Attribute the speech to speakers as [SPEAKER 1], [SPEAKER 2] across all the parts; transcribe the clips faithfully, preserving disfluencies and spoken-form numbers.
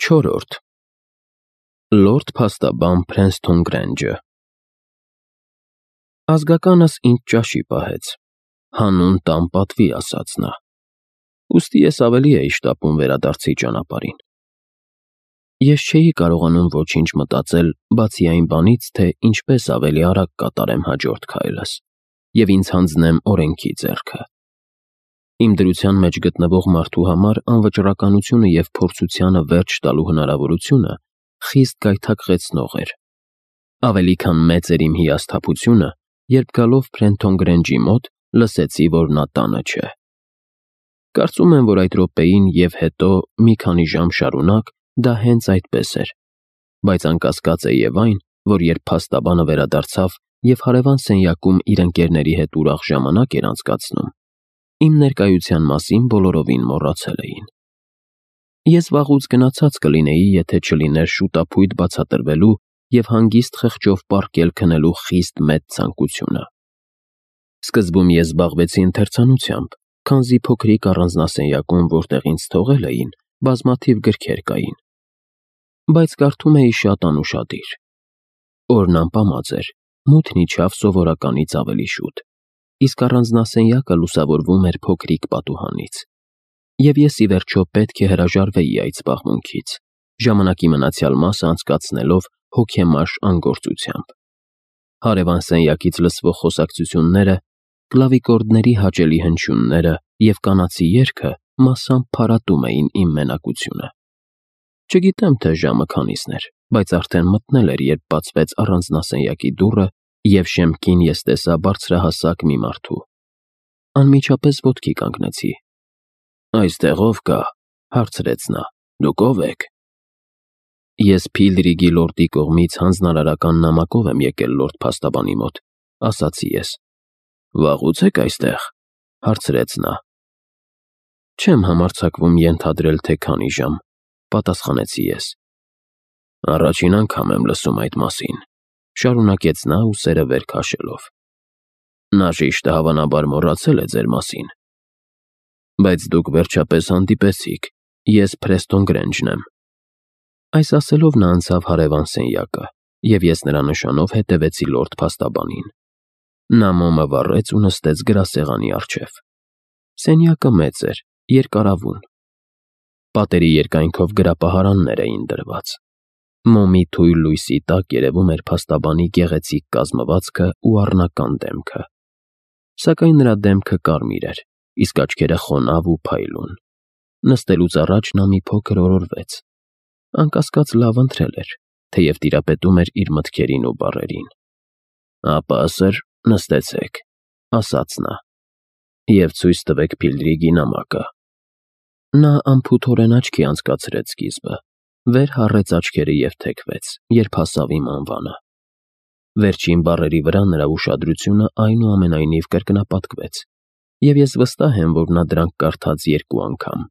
[SPEAKER 1] Չորրորդ Լորդ փաստաբան Փրենսթոն Գրենջը Ազգականս ինձ ճաշի պահեց, հանուն տան պատվի ասաց նա, ուստի ես ավելի էի շտապում վերադարձի ճանապարհին։ Ես չէի կարողանում ոչինչ մտածել, բացի այն բանից, թե ինչպես ավելի արագ կատարեմ հաջորդ քայլս և ինձ հանձնեմ օրենքի ձեռքը։ Իմ դրության մեջ գտնվող մարդու համար անվճռականությունը և փորձությանը վերջ տալու հնարավորությունը խիստ գայթակղեցնող էր։ Ավելի քան մեծ էր իմ հիասթափությունը, երբ գալով Փրենսթոն Գրենջի մոտ լսեցի, որ նա տանը չէ։ Կարծում եմ, որ այդ րոպեին և հետո մի քանի ժամ շարունակ դա հենց այդպես էր, բայց անկասկած է և այն, որ երբ փաստաբանը վերադարձավ և հարևան սենյակում իր ընկերների հետ ուրախ ժամանակ էր անցկացնում, իմ ներկայության մասին բոլորովին մոռացել էին։ Ես վաղուց գնացած կլինեի, եթե չլիներ շուտափույթ բացատրվելու և հանգիստ խղճով պառկել քնելու խիստ մեծ ցանկությունը։ Սկզբում ես զբաղվեցի ընթերցանությամբ, քանզի փոքրիկ առանձնասենյակում, որտեղ ինձ թողել էին, բազմաթիվ գրքեր կային, բայց կարդում էի շատ անուշադիր։ Օրն ամպամած էր, մութն իջավ սովորականից ավելի շուտ, իսկ առանձնասենյակը լուսավորվում էր փոքրիկ պատուհանից, և ես ի վերջո պետք է հրաժարվեի այդ զբաղմունքից, ժամանակի մնացյալ մասը անցկացնելով հոգեմաշ անգործությամբ։ Հարևան սենյակից լսվող խոսակցությունները, կլավիկորդների հաճելի հնչյունները և կանացի երգը մասամբ փարատում էին իմ մենակությունը։ Չգիտեմ, թե ժամը քանիսն էր, բայց արդեն մթնել էր, երբ բացվեց առանձնասենյակի դուռը, և շեմքին ես տեսա բարձրահասակ մի մարդու։ Անմիջապես ոտքի կանգնեցի։ «Այստեղ ով կա», հարցրեց նա, «դուք ո՞վ եք»։ «Ես Փիլդրիգի լորդի կողմից հանձնարարական նամակով եմ եկել լորդ փաստաբանի մոտ», ասացի ես։ «Վաղուց եք այստեղ», հարցրեց նա։ «Չեմ համարձակվում ենթադրել, թե քանի ժամ», պատասխանեցի ես։ «Առաջին անգամ եմ լսում այդ մասին», շարունակեց նա ուսերը վեր քաշելով։ «Նաժիշտը հավանաբար մոռացել է ձեր մասին։ Բայց դուք վերջապես հանդիպեցիք, ես Փրենսթոն Գրենջն եմ»։ Այս ասելով նա անցավ հարևան սենյակը, և ես նրա նշանով հետևեցի լորդ փաստաբանին։ Նա մոմը վառեց ու նստեց գրասեղանի առջև։ Սենյակը մեծ էր, երկարավուն։ Պատերի երկայնքով գրապահարաններ էին դրված։ Մոմի թույլ լույսի տակ երևում էր փաստաբանի գեղեցիկ կազմվածքը ու առնական դեմքը։ Սակայն նրա դեմքը կարմիր էր, իսկ աչքերը խոնավ ու փայլուն։ Նստելուց առաջ նա մի փոքր օրորվեց։ Անկասկած լավ ընթրել էր, թեև տիրապետում էր իր մտքերին ու բառերին։ «Ապա, սըր, նստեցեք», ասաց նա, «և ցույց տվեք Փիլդրիգի նամակը»։ Նա անփութորեն աչքի անցկացրեց սկիզբը, վեր հառեց աչքերը և թեքվեց, երբ հասավ իմ անվանը։ Վերջին բառերի վրա նրա ուշադրությունը այնուամենայնիվ կրկնապատկվեց, և ես վստահ եմ, որ նա դրանք կարդաց երկու անգամ։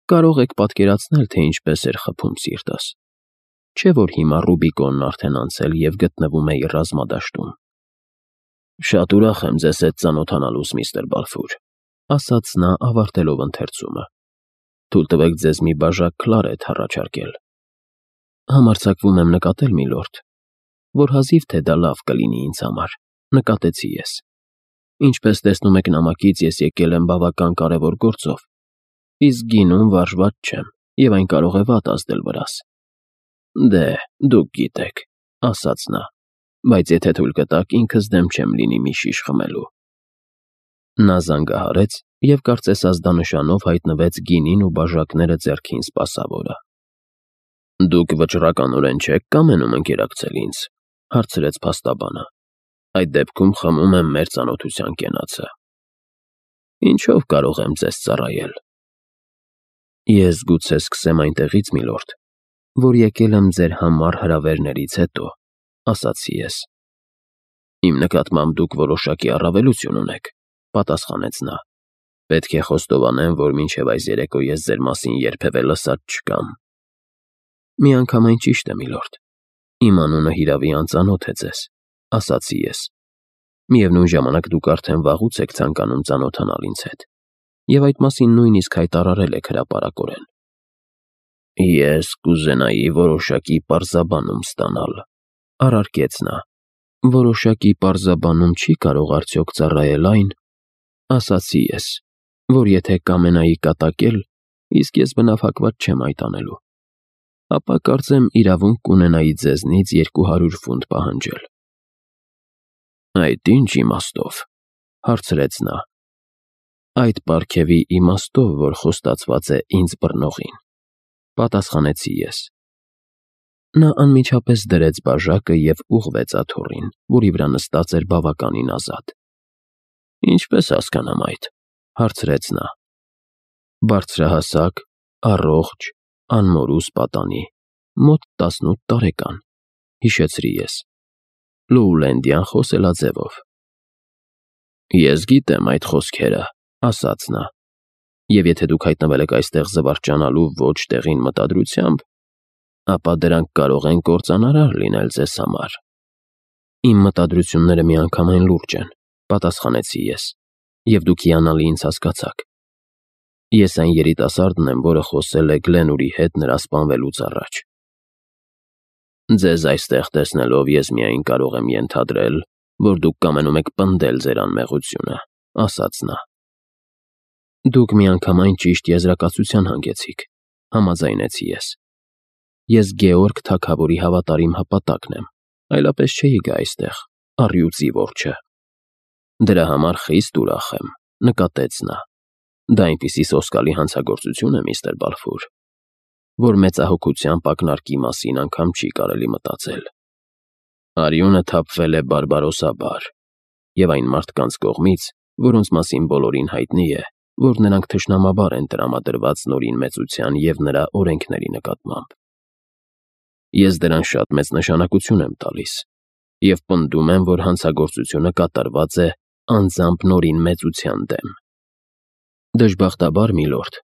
[SPEAKER 1] Կարող եք պատկերացնել, թե ինչպես էր խփում սիրտս։ Չէ՞ որ հիմա Ռուբիկոնն արդեն անցել և գտնվում էի ռազմադաշտում։ «Շատ ուրախ եմ ձեզ հետ ծանոթանալուս, միստր Բալֆուր», ասաց նա, ավարտելով ընթերցումը։ «Թույլ տվեք ձեզ մի բաժակ քլարեթ առաջարկել»։ «Համարձակվում եմ նկատել, միլորդ, որ հազիվ թե դա լավ կլինի ինձ համար», նկատեցի ես։ «Ինչպես տեսնում եք նամակից, ես եկել եմ բավական կարևոր գործով, իսկ գինուն վարժված չեմ, և այն կարող է վատ ազդել վրաս»։ «Դե, դուք գիտեք», ասաց նա, «բայց եթե թույլ կտաք, ինքս դեմ չեմ լինի մի շիշ խմելու»։ Նա զանգահարեց և կարծես ազդանշանով հայտնվեց գինին ու բաժակները ձեռքին սպասավորը։ «Դուք վճռականորեն չե՞ք կամենում ընկերակցել ինձ», հարցրեց փաստաբանը։ «Այդ դեպքում խմում եմ մեր ծանոթության կենացը»։ «Ինչով կարող եմ ձեզ ծառայել»։ «Ես գուցե սկսեմ այնտեղից, միլորդ, որ եկել եմ ձեր համառ հրավերներից հետո», ասացի ես։ «Իմ նկատմամբ դուք որոշակի առավելություն ունեք», պատասխանեց նա։ «Պետք է խոստովանեմ, որ մինչև այս երեկո ես ձեր մասին երբևէ լսած չկամ»։ «Միանգամայն ճիշտ է, միլորդ, իմ անունը հիրավի անծանոթ է ձեզ», ասացի ես։ «Միևնույն ժամանակ դուք արդեն վաղուց եք ցանկանում ծանոթանալ ինձ հետ, և այդ մասին նույնիսկ հայտարարել եք հրապարակորեն»։ Ես կուզենայի որոշակի պարզաբանում ստանալ, առարկեց նա։ Որոշակի պարզաբանում չի կարող արդյոք ծառայել այն, ասացի ես, որ եթե կամենայի կատակել, իսկ ես բնափակված չեմ այդ անելու, ապա կարծեմ իրավունք կունենայի ձեզնից երկու հարյուր ֆունտ պահանջել։ Այդ ինչ իմաստով, հարցրեց նա։ Այդ պարգևի իմաստով, որ խոստացված է ինձ բռնողին, պատասխանեցի ես։ Նա անմիջապես դրեց բաժակը և ուղղվեց աթոռին, որի վրա նստած էր բավականին ազատ։ Ինչպես հասկանամ այդ, հարցրեց նա։ Բարձրահասակ, առողջ, անմորուս պատանի, մոտ տասնութ տարեկան, հիշեցրի ես, Լոուլենդյան խոսելաձևով։ Ես գիտեմ այդ խոսքերը, ասաց նա, և եթե դուք հայտնվել եք այստեղ զվարճանալու ոչ տեղին մտադրությամբ, ապա դրանք կարող են կործանարար լինել ձեզ համար։ Իմ մտադրությունները միանգամայն լուրջ են, պատասխանեցի ես, և դուք հիանալի ինձ հասկացաք։ Ես այն երիտասարդն եմ, որը խոսել է Գլենուրի հետ նրա սպանվելուց առաջ։ Ձեզ այստեղ տեսնելով ես միայն կարող եմ ենթադրել, որ դուք կամենում եք պնդել ձեր անմեղությունը, ասաց նա։ Դուք միանգամայն ճիշտ եզրակացության հանգեցիք, համաձայնեցի ես։ Ես Գեորգ թագավորի հավատարիմ հպատակն եմ, այլապես չէի գա այստեղ, առյուծի որջը։ Դրա համար խիստ ուրախ եմ, նկատեց նա։ Դա այնպիսի սոսկալի հանցագործություն է, միստր Բալֆուր, որ մեծահոգությամբ ակնարկի մասին անգամ չի կարելի մտածել։ Արյունը թափվել է բարբարոսաբար, և այն մարդկանց կողմից, որոնց մասին բոլորին հայտնի է, որ նրանք թշնամաբար են տրամադրված Նորին մեծության և նրա օրենքների նկատմամբ։ Ես դրան շատ մեծ նշանակություն եմ տալիս և պնդում եմ, որ հանցագործությունը կատարված է անձամբ Նորին մեծության դեմ։ Դժբախտաբար, միլորդ,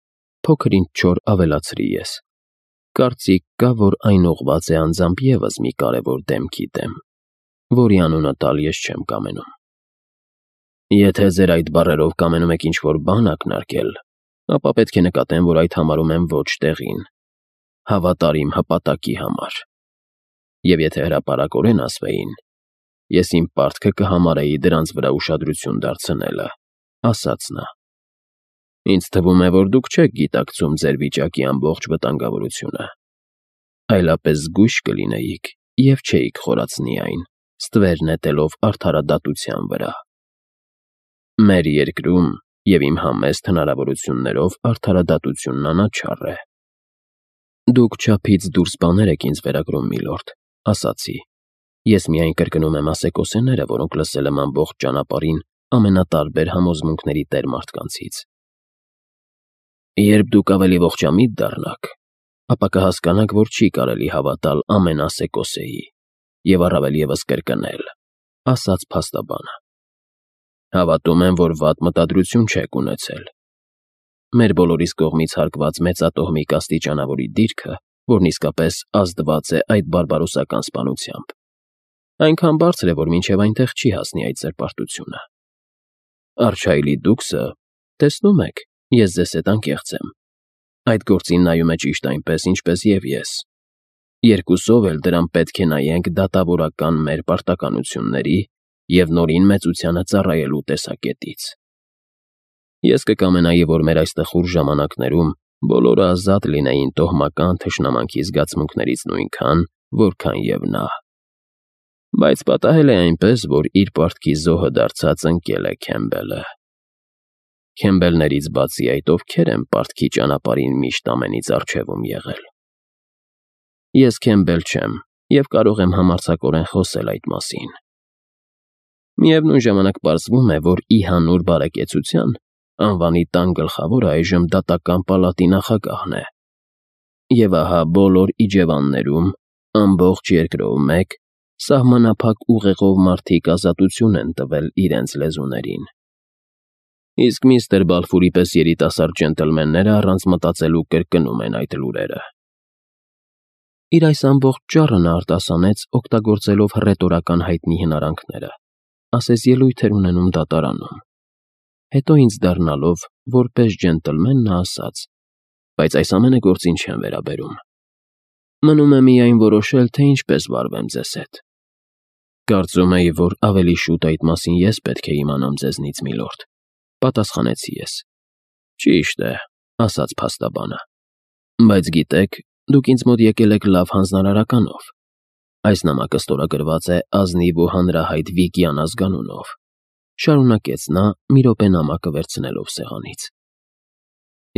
[SPEAKER 1] փոքր-ինչ չոր ավելացրի ես։ Կարծիք կա, որ այն ուղղված է անձամբ ևս մի կարևոր դեմքի դեմ, որի անունը տալ ես չեմ կամենում։ Եթե ձեր այդ բառերով կամենում եք ինչ-որ բան ակնարկել, ապա պետք է նկատեմ, որ այդ համարում եմ ոչ տեղին, հավատարիմ հպատակի համար։ Եվ եթե հրապարակորեն ասվեին, ես իմ պարտքը կհամարեի դրանց վրա ուշադրություն դարձնելը, ասաց նա։ Ինձ թվում է, որ դուք չեք գիտակցում ձեր վիճակի ամբողջ վտանգավորությունը, այլապես զգույշ կլինեիք և չէիք խորացնի այն, ստվեր նետելով արդարադատության վրա։ Մեր երկրում և իմ համեստ հնարավորություններով արդարադատությունն անաչառ է։ Դուք չափից դուրս բաներ եք ինձ վերագրում, միլորդ, ասացի։ Ես միայն կրկնում եմ ասեկոսեները, որոնք լսել եմ ամբողջ ճանապարհին ամենատարբեր համոզմունքների տեր մարդկանցից։ Երբ դուք ավելի ողջամիտ դառնաք, ապա կհասկանաք, որ չի կարելի հավատալ ամեն ասեկոսեի և առավել ևս կրկնել, ասաց փաստաբանը։ Հավատում եմ, որ վատ մտադրություն չեք ունեցել։ Մեր բոլորիս կողմից հարգված մեծատոհմիկ աստիճանավորի դիրքը, որն իսկապես ազդված է այդ բարբարոսական սպանությամբ, այնքան բարձր է, որ մինչև այնտեղ չի հասնի այդ սրբարտությունը։ Արչայլի դուքսը, տեսնում եք, ես ձեզ հետ անկեղծ եմ, այդ գործին նայում է ճիշտ այնպես, ինչպես և ես։ Երկուսով էլ դրան պետք է նայենք դատավորական մեր պարտականությունների և Նորին մեծությանը ծառայելու տեսակետից։ Ես կկամենայի, որ մեր այս տխուր ժամանակներում բոլորը ազատ լինեին տոհմական թշնամանքի զգացմունքներից նույնքան, որքան և նա։ Բայց պատահել է այնպես, որ իր պարտքի զոհը դարձած ընկել է Քեմբելը։ Քեմբելներից բացի այդ ովքեր են պարտքի ճանապարհին միշտ ամենից առջևում եղել։ Ես Քեմբել չեմ և կարող եմ համարձակորեն խոսել այդ մասին։ Միևնույն ժամանակ պարզվում է, որ ի հանուր բարեկեցության անվանի տան գլխավորը այժմ դատական պալատի նախագահն է։ Եվ ահա բոլոր իջևաններում, ամբողջ երկրով մեկ, սահմանափակ ուղեղով մարդիկ ազատություն են տվել իրենց լեզուներին։ Իսկ միստր Բալֆուրի պես երիտասարդ ջենտլմենները առանց մտածելու կրկնում են այդ լուրերը։ Իր այս ամբողջ ճառը նա արտասանեց, օգտագործելով հռետորական հայտնի հնարանքները, ասես ելույթ էր ունենում դատարանում։ Հետո ինձ դառնալով, որպես ջենտլմեն նա ասաց. բայց այս ամենը գործին չեմ վերաբերում։ Մնում է միայն որոշել, թե ինչպես վարվեմ ձեզ հետ։ Կարծում էի, որ ավելի շուտ այդ մասին ես պետք է իմանամ ձեզնից, միլորդ, պատասխանեցի ես։ Ճիշտ է, ասաց փաստաբանը։ Բայց գիտեք, դուք ինձ մոտ եկել եք լավ հանձնարարականով։ Այս նամակը ստորագրված է ազնիվ ու հանրահայտ Վիգյան ազգանունով, շարունակեց նա, մի րոպե նամակը վերցնելով սեղանից։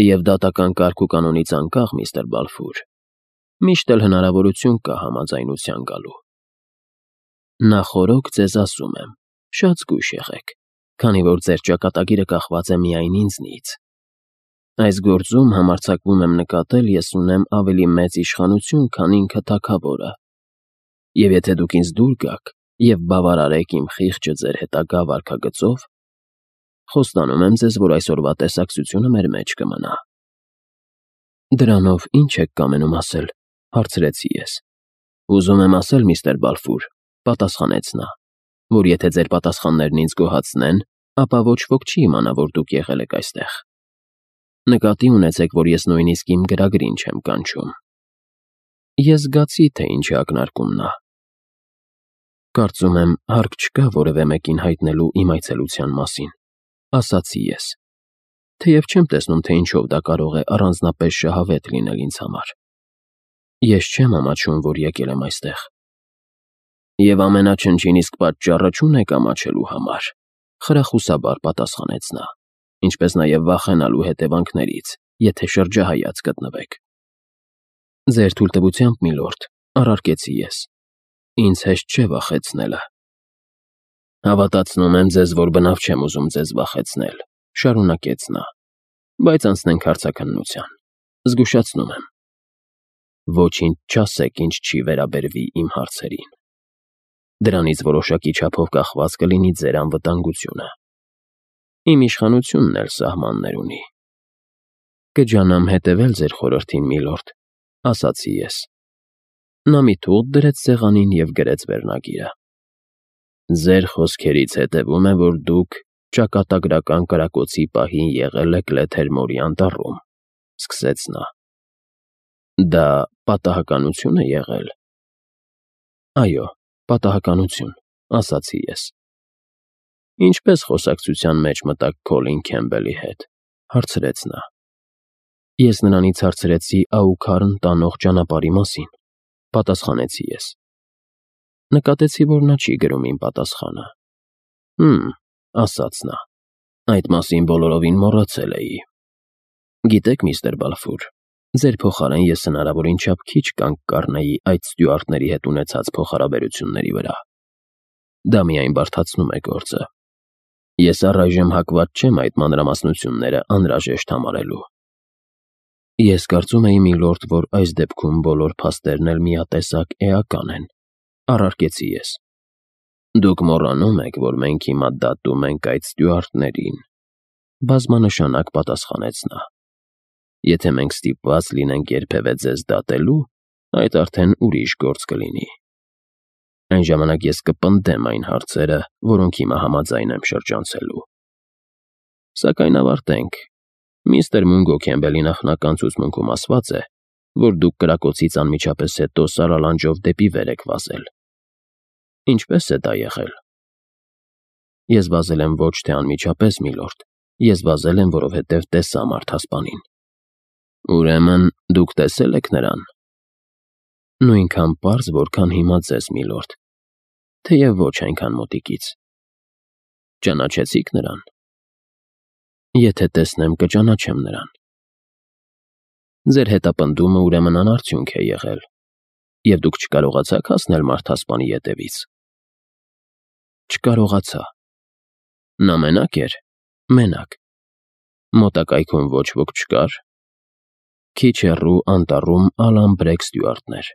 [SPEAKER 1] Եվ դատական կարգ ու կանոնից անկախ, միստր Բալֆուր, միշտ էլ հնարավորություն կա համաձայնության գալու։ Նախօրոք ձեզ ասում եմ, շատ զգույշ եղեք, քանի որ ձեր ճակատագիրը կախված է միայն ինձնից։ Այս գործում համարձակվում եմ նկատել, ես ունեմ ավելի մեծ իշխանություն, քան ինքը թագավորը։ Եվ եթե դուք ինձ դուր գաք և բավարարեք իմ խիղճը ձեր հետագա վարքագծով, խոստանում եմ ձեզ, որ այսօրվա տեսակցությունը մեր մեջ կմնա։ Դրանով ի՞նչ եք կամենում ասել, հարցրեցի ես։ Ուզում եմ ասել, միստր Բալֆուր, պատասխանեց նա, որ եթե ձեր պատասխաններն ինձ գոհացնեն, ապա ոչ ոք չի իմանա, որ դուք եղել եք այստեղ։ Նկատի ունեցեք, որ ես նույնիսկ իմ գրագրին չեմ կանչում։ Ես զգացի, թե ինչ է ակնարկում նա։ Կարծում եմ, հարկ չկա որևէ մեկին հայտնելու իմ այցելության մասին, ասացի ես, թեև չեմ տեսնում, թե ինչով դա կարող է առանձնապես շահավետ լինել ինձ համար։ Ես չեմ ամաչում, որ եկել եմ այստեղ։ Եվ ամենաչնչին իսկ պատճառը չունեք ամաչելու համար, խրախուսաբար պատասխանեց նա, ինչպես նաև վախենալու հետևանքներից, եթե շրջահայաց գտնվեք։ Ձեր թույլտվությամբ, միլորդ, առարկեցի ես։ Ինձ հեշտ չէ վախեցնելը։ Հավատացնում եմ ձեզ, որ բնավ չեմ ուզում ձեզ վախեցնել, շարունակեց նա, բայց անցնենք հարցաքննության։ Զգուշացնում եմ։ Ոչինչ չասեք, ինչ չի վերաբերվի իմ հարցերին։ Դրանից որոշակի չափով կախված կլինի ձեր անվտանգությունը։ Իմ իշխանությունն էլ սահմաններ ունի։ Կջանամ հետևել ձեր խորհրդին, միլորդ, ասացի ես։ Նա մի թուղթ դրեց սեղանին և գրեց վերնագիրը։ Ձեր խոսքերից հետևում է, որ դուք ճակատագրական կրակոցի պահին եղել եք Լեթերմորի անտառում, սկսեց նա։ Դա պատահականություն է եղել։ Այո, պատահականություն, ասացի ես։ Ինչպես խոսակցության մեջ մտաք Քոլին Քեմբելի հետ, հարցրեց նա։ Ես նրանից հարցրեցի Աուքարն տանող ճանապարհի մասին, պատասխանեցի ես։ Նկատեցի, որ նա չի գրում իմ պատասխանը։ Հմ, ասաց նա, այդ մասին բոլորովին մոռացել էի։ Գիտեք, միստր Բալֆուր, ձեր փոխարեն ես հնարավորին չափ քիչ կանգ կառնեի այդ ստյուարտների հետ ունեցած փոխհարաբերությունների վրա։ Դա միայն բարդացնում է գործը։ Ես առայժմ հակված չեմ այդ մանրամասնությունները անհրաժեշտ համարելու։ Ես կարծում էի, միլորդ, որ այս դեպքում բոլոր փաստերն էլ միատեսակ էական են, առարկեցի ես։ Դուք մոռանում եք, որ մենք հիմա դատում ենք այդ ստյուարտներին, բազմանշանակ պատասխանեց նա։ Եթե մենք ստիպված լինենք երբևէ ձեզ դատելու, այդ արդեն ուրիշ գործ կլինի։ Այն ժամանակ ես կպնդեմ այն հարցերը, որոնք հիմա համաձայն եմ շրջանցելու։ Սակայն ավարտենք։ Միստր Մունգո Քեմբելի նախնական ցուցմունքում ասված է, որ դուք կրակոցից անմիջապես հետո սարալանջով դեպի վեր եք վազել։ Ինչպե՞ս է դա եղել։ Ես վազել եմ ոչ թե անմիջապես, միլորդ, ես վազել եմ, որովհետև տեսա մարդասպանին։ Ուրեմն դուք տեսել եք նրան։ Նույնքան պարզ, որքան հիմա ձեզ, միլորդ, թեև ոչ այնքան մոտիկից։ Ճանաչեցիք նրան։ Եթե տեսնեմ, կճանաչեմ նրան։ Ձեր հետապնդումը ուրեմն անարդյունք է եղել, և դուք չկարողացաք հասնել մարդասպանի ետևից։ Չկարողացա։ Նա մենակ էր, մենակ։ Մոտակայքում ոչ ոք չկար։ Քիչ հեռու անտառում Ալան Բրեք ստյուարտն էր։